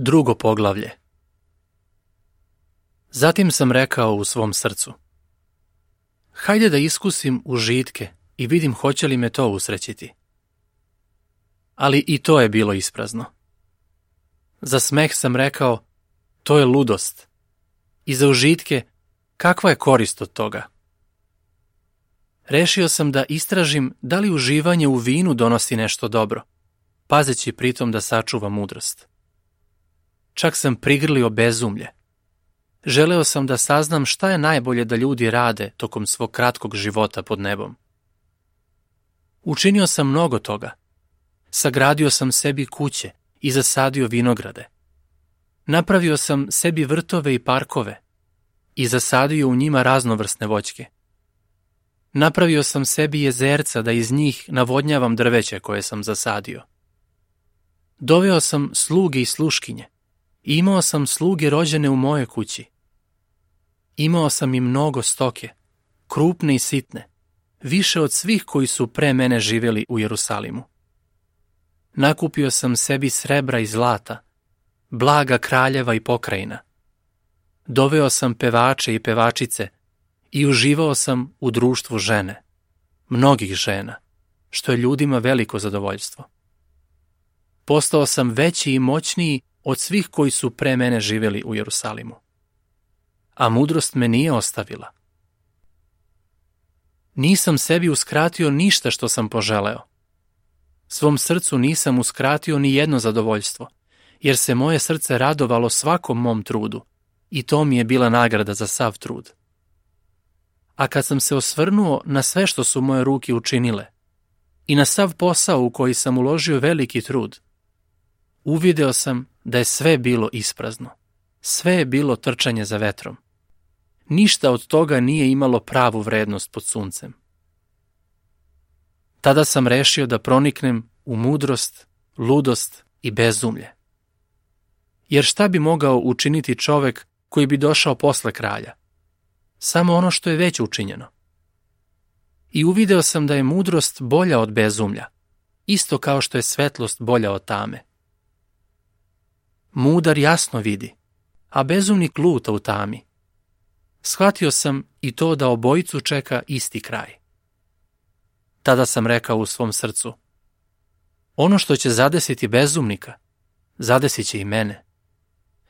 Drugo poglavlje. Zatim sam rekao u svom srcu: hajde da iskusim užitke i vidim hoće li me to usrećiti. Ali i to je bilo isprazno. Za smeh sam rekao: to je ludost. I za užitke, kakva je korist od toga? Rešio sam da istražim da li uživanje u vinu donosi nešto dobro, pazeći pritom da sačuvam mudrost. Čak sam prigrlio bezumlje. Želeo sam da saznam šta je najbolje da ljudi rade tokom svog kratkog života pod nebom. Učinio sam mnogo toga. Sagradio sam sebi kuće i zasadio vinograde. Napravio sam sebi vrtove i parkove i zasadio u njima raznovrsne voćke. Napravio sam sebi jezerca da iz njih navodnjavam drveće koje sam zasadio. Doveo sam sluge i sluškinje i imao sam sluge rođene u mojoj kući. Imao sam i mnogo stoke, krupne i sitne, više od svih koji su pre mene živjeli u Jerusalimu. Nakupio sam sebi srebra i zlata, blaga kraljeva i pokrajina. Doveo sam pevače i pevačice i uživao sam u društvu žene, mnogih žena, što je ljudima veliko zadovoljstvo. Postao sam veći i moćniji od svih koji su pre mene živjeli u Jerusalimu. A mudrost me nije ostavila. Nisam sebi uskratio ništa što sam poželeo. Svom srcu nisam uskratio ni jedno zadovoljstvo, jer se moje srce radovalo svakom mom trudu i to mi je bila nagrada za sav trud. A kad sam se osvrnuo na sve što su moje ruke učinile i na sav posao u koji sam uložio veliki trud, uvideo sam da je sve bilo isprazno. Sve je bilo trčanje za vetrom. Ništa od toga nije imalo pravu vrednost pod suncem. Tada sam rešio da proniknem u mudrost, ludost i bezumlje. Jer šta bi mogao učiniti čovek koji bi došao posle kralja? Samo ono što je već učinjeno. I uvideo sam da je mudrost bolja od bezumlja, isto kao što je svetlost bolja od tame. Mudar jasno vidi, a bezumnik luta u tami. Shvatio sam i to da obojicu čeka isti kraj. Tada sam rekao u svom srcu: ono što će zadesiti bezumnika, zadesit će i mene.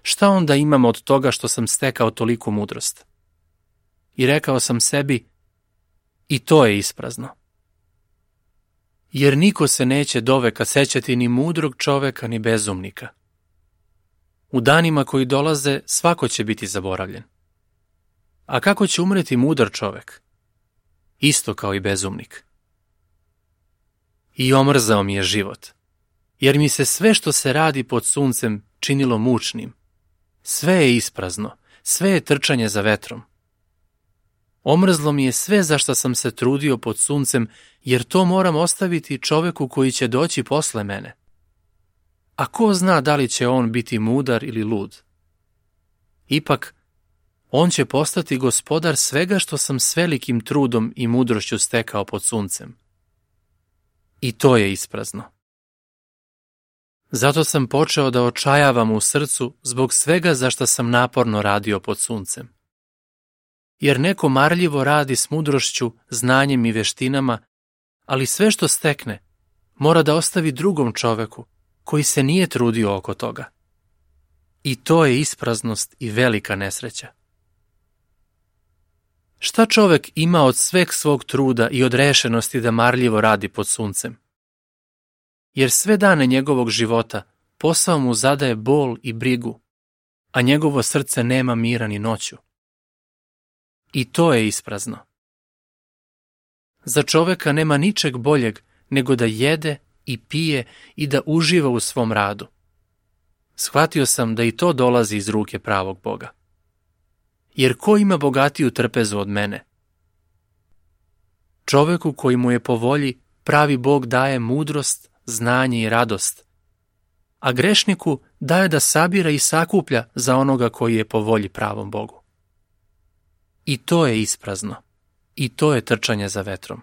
Šta onda imam od toga što sam stekao toliku mudrost? I rekao sam sebi: i to je isprazno. Jer niko se neće doveka sećati ni mudrog čoveka ni bezumnika. U danima koji dolaze svako će biti zaboravljen. A kako će umreti mudar čovek? Isto kao i bezumnik. I omrzao mi je život, jer mi se sve što se radi pod suncem činilo mučnim. Sve je isprazno, sve je trčanje za vetrom. Omrzlo mi je sve za što sam se trudio pod suncem, jer to moram ostaviti čoveku koji će doći posle mene. A ko zna da li će on biti mudar ili lud? Ipak, on će postati gospodar svega što sam s velikim trudom i mudrošću stekao pod suncem. I to je isprazno. Zato sam počeo da očajavam u srcu zbog svega za što sam naporno radio pod suncem. Jer neko marljivo radi s mudrošću, znanjem i veštinama, ali sve što stekne mora da ostavi drugom čoveku koji se nije trudio oko toga. I to je ispraznost i velika nesreća. Šta čovek ima od sveg svog truda i od rešenosti da marljivo radi pod suncem? Jer sve dane njegovog života posao mu zadaje bol i brigu, a njegovo srce nema mira ni noću. I to je isprazno. Za čoveka nema ničeg boljeg nego da jede i pije i da uživa u svom radu. Shvatio sam da i to dolazi iz ruke pravog Boga. Jer ko ima bogatiju trpezu od mene? Čoveku koji mu je po volji pravi Bog daje mudrost, znanje i radost, a grešniku daje da sabira i sakuplja za onoga koji je po volji pravom Bogu. I to je isprazno. I to je trčanje za vetrom.